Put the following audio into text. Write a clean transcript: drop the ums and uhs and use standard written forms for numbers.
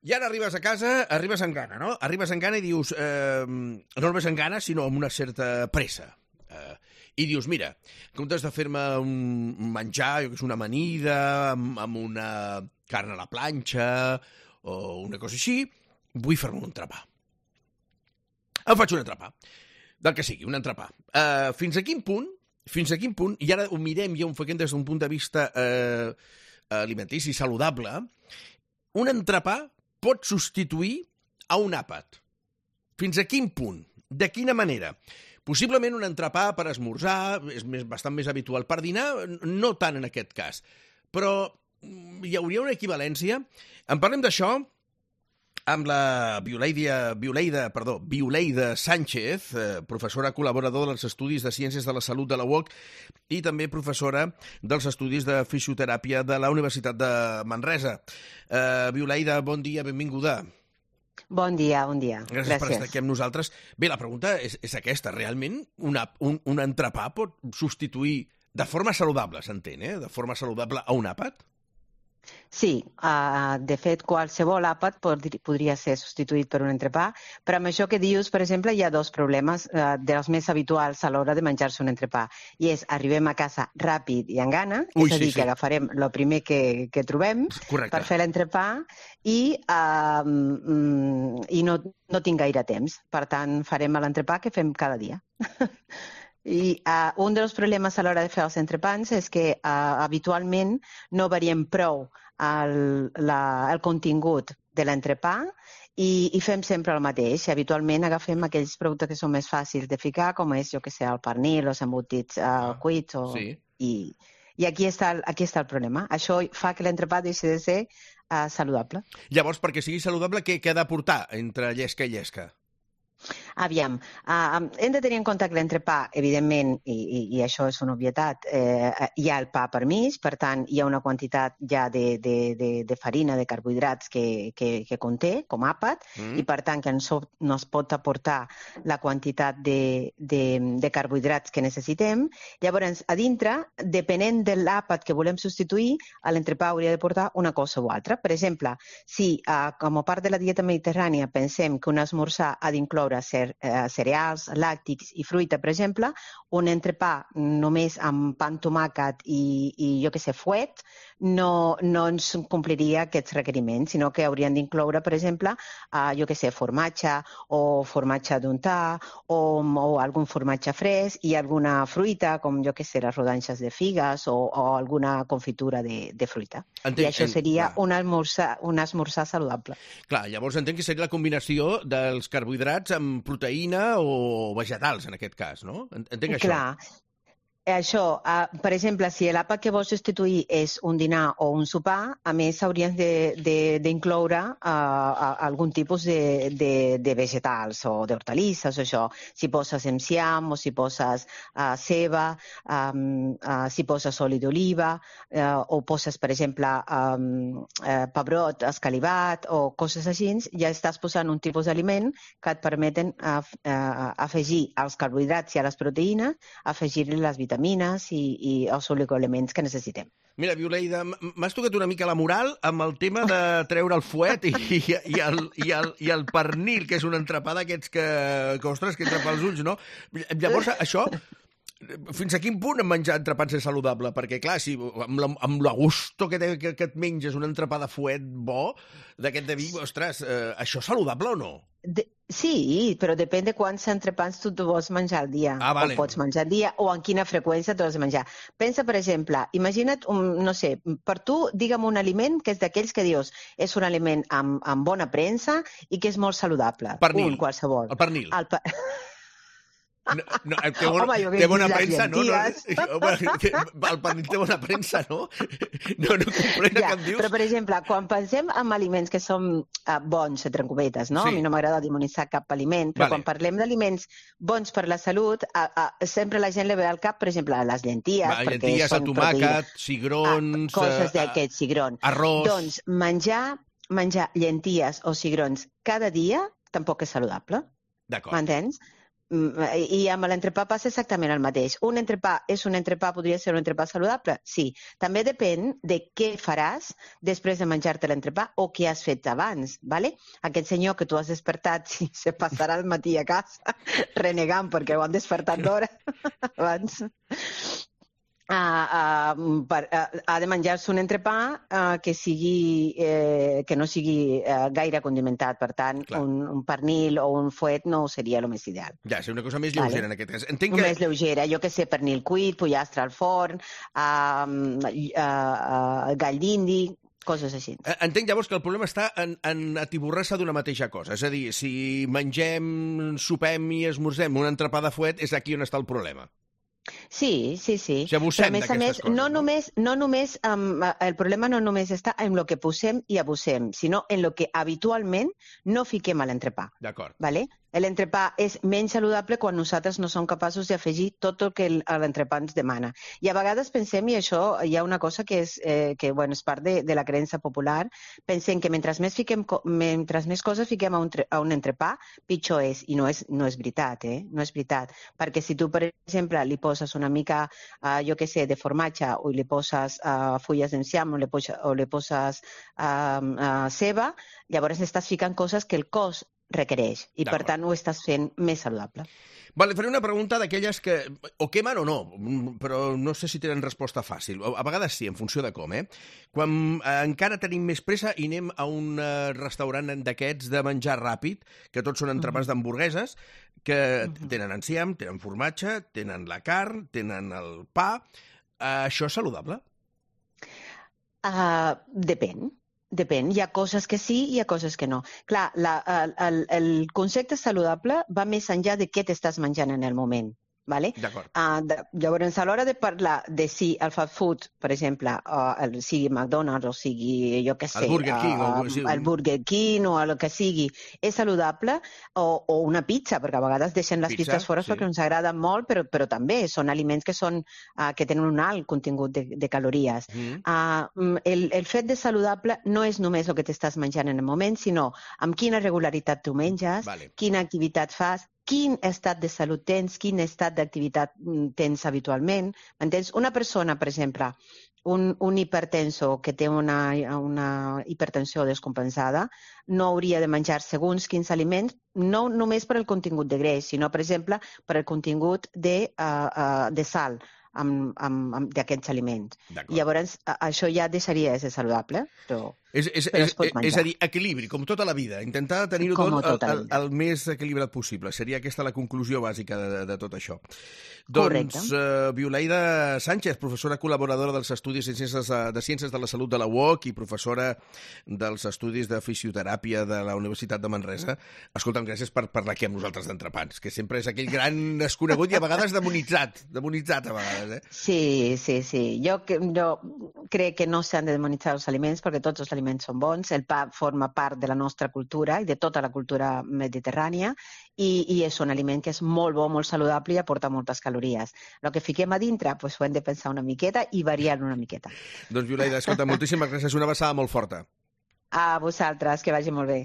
I ara arribes a casa, arribes amb gana, no? Arribes amb gana i dius... no només amb gana, sinó amb una certa pressa. I dius, mira, en comptes de fer-me un menjar, jo que és una amanida, amb una carn a la planxa o una cosa així, vull fer-me un entrepà. Em faig un entrepà. Del que sigui, un entrepà. Fins a quin punt, i ara ho mirem i ho enfoquem des d'un punt de vista alimentici saludable, un entrepà pot substituir a un àpat. Fins a quin punt? De quina manera? Possiblement un entrepà per esmorzar, és bastant més habitual per dinar, no tant en aquest cas. Però hi hauria una equivalència. En parlem d'això amb la Viuleida Sánchez, professora col·laboradora dels Estudis de Ciències de la Salut de la UOC i també professora dels Estudis de Fisioteràpia de la Universitat de Manresa. Viuleida, bon dia, benvinguda. Bon dia, bon dia. Gràcies per estar aquí amb nosaltres. Bé, la pregunta és aquesta. Realment un entrepà pot substituir de forma saludable, s'entén, de forma saludable a un àpat? Sí, de fet, qualsevol àpat podria ser substituït per un entrepà, però amb això que dius, per exemple, hi ha dos problemes dels més habituals a l'hora de menjar-se un entrepà. I és, arribem a casa ràpid i amb gana, és a dir, que agafarem el primer que trobem per fer l'entrepà i no tinc gaire temps. Per tant, farem l'entrepà que fem cada dia. I un dels problemes a l'hora de fer els entrepans és que habitualment no variem prou el contingut de l'entrepà i fem sempre el mateix. Habitualment agafem aquells productes que són més fàcils de ficar, com és, jo que sé, el pernil, els embotits cuits. I aquí està el problema. Això fa que l'entrepà deixi de ser saludable. Llavors, perquè sigui saludable, què ha de portar entre llesca i llesca? Aviam, hem de tenir en compte que l'entrepà, evidentment, i això és una obvietat, hi ha el pa per mig, per tant, hi ha una quantitat ja de farina, de carbohidrats que conté, com àpat, i per tant que no es pot aportar la quantitat de carbohidrats que necessitem. Llavors, a dintre, depenent de l'àpat que volem substituir, l'entrepà hauria de portar una cosa o altra. Per exemple, si com a part de la dieta mediterrània pensem que un esmorzar ha d'incloure cereals, làctics i fruita, per exemple, un entrepà només amb pa amb tomàquet i jo que sé, fuet, no ens compliria aquests requeriments, sinó que haurien d'incloure, per exemple, jo que sé, formatge o formatge d'untar o algun formatge fresc i alguna fruita, com jo que sé, les rodanxes de figues o alguna confitura de fruita. I això seria un esmorzar saludable. Clar, llavors entenc que seria la combinació dels carbohidrats amb proteïna o vegetals, en aquest cas, no? Entenc això. Clar. Això, per exemple, si l'àpat que vols substituir és un dinar o un sopar, a més hauries d'incloure algun tipus de vegetals o d'hortalisses o això. Si poses enciam o si poses ceba, si poses oli d'oliva o poses, per exemple, pebrot escalivat o coses així, ja estàs posant un tipus d'aliment que et permeten afegir als carbohidrats i a les proteïnes, afegir-li les vitamines i els oligoelements que necessitem. Mira, Viuleida, m'has tocat una mica la moral amb el tema de treure el fuet i el pernil, que és un entrepà d'aquests que ostres, que entra pels ulls, no? Llavors, això, fins a quin punt menjar entrepans és saludable? Perquè, clar, si amb la gusto que et menges un entrepà de fuet bo, d'aquest de vi, ostres, això és saludable o no? Sí, però depèn de quants entrepans tu vols menjar al dia. Vale. O pots menjar al dia o en quina freqüència tu has de menjar. Pensa, per exemple, imagina't, no sé, per tu, digue'm un aliment que és d'aquells que dius és un aliment amb bona premsa i que és molt saludable. Pernil. Qualsevol. El pernil. No, té bona premsa, no? El pernil té bona premsa, no? No comprena què em dius. Però, per exemple, quan pensem en aliments que són bons, entre cometes, no? Sí. A mi no m'agrada demonitzar cap aliment, però quan parlem d'aliments bons per la salut, sempre la gent li ve al cap, per exemple, les llenties. Llenties, el tomàquet, cigrons... Coses d'aquests, cigrons. Arròs... Doncs menjar llenties o cigrons cada dia tampoc és saludable. D'acord. M'entens? I amb l'entrepà passa exactament el mateix. Un entrepà és un entrepà, podria ser un entrepà saludable? Sí. També depèn de què faràs després de menjar-te l'entrepà o què has fet abans, ¿vale? Aquest senyor que tu has despertat si se passarà el matí a casa renegant perquè ho han despertat d'hora abans. Ha de menjar-se un entrepà que no sigui gaire condimentat. Per tant, un pernil o un fuet no seria el més ideal. Ja, és una cosa més lleugera en aquest cas. Més lleugera, jo que sé, pernil cuit, pollastre al forn, gall d'indi, coses així. Entenc llavors que el problema està en atiborrar-se d'una mateixa cosa. És a dir, si mengem, sopem i esmorzem un entrepà de fuet, és aquí on està el problema. Sí. O sigui, abusem d'aquestes coses. No només, el problema no només està en el que posem i abusem, sinó en el que habitualment no fiquem a l'entrepà. D'acord. ¿Vale? L'entrepà és menys saludable quan nosaltres no som capaços d'afegir tot el que l'entrepà ens demana. I a vegades pensem, i això hi ha una cosa que és part de la creença popular, pensem que mentre més coses fiquem a un entrepà, pitjor és. I no és veritat, no és veritat. Perquè si tu, per exemple, li poses una mica, jo què sé, de formatge, o li poses fulles d'enciam, o li poses ceba, llavors estàs ficant coses que el cos requereix i, per tant, ho estàs fent més saludable. Vale, faré una pregunta d'aquelles que o quemen o no, però no sé si tenen resposta fàcil. A vegades sí, en funció de com, Quan encara tenim més pressa i anem a un restaurant d'aquests de menjar ràpid, que tots són entrepans d'hamburgueses, que tenen enciam, tenen formatge, tenen la carn, tenen el pa. Això és saludable? Depèn. Depèn, hi ha coses que sí i hi ha coses que no. Clar, el concepte saludable va més enllà de què t'estàs menjant en el moment. ¿Vale? D'acord. Llavors, a l'hora de parlar de si el fast food, per exemple, sigui McDonald's o sigui, jo què sé, el Burger King o el que sigui, és saludable, o una pizza, perquè a vegades deixen les pizzas fora perquè ens agraden molt, però també són aliments que tenen un alt contingut de calories. El fet de saludable no és només el que t'estàs menjant en el moment, sinó amb quina regularitat tu menges, quina activitat fas, quin estat de salut tens, quin estat d'activitat tens habitualment. M'entens? Una persona, per exemple, un hipertenso que té una hipertensió descompensada, no hauria de menjar segons quins aliments, no només per el contingut de greix, sinó, per exemple, per el contingut de sal d'aquests aliments. I llavors això ja deixaria de ser saludable, però es pot menjar. És a dir, equilibri, com tota la vida. Intentar tenir-ho tot el més equilibrat possible. Seria aquesta la conclusió bàsica de tot això. Doncs, Violaida Sánchez, professora col·laboradora dels Estudis de Ciències de la Salut de la UOC i professora dels Estudis de Fisioteràpia de la Universitat de Manresa. Escolta'm, gràcies per parlar aquí amb nosaltres d'entrepans, que sempre és aquell gran desconegut i a vegades demonitzat a vegades. Sí. Jo crec que no s'han de demonitzar els aliments perquè tots els aliments són bons. El pa forma part de la nostra cultura i de tota la cultura mediterrània i és un aliment que és molt bo, molt saludable i aporta moltes calories. El que fiquem a dintre ho hem de pensar una miqueta i variar una miqueta. Doncs, Violaida, escolta, moltíssimes gràcies. Una abraçada molt forta. A vosaltres, que vagi molt bé.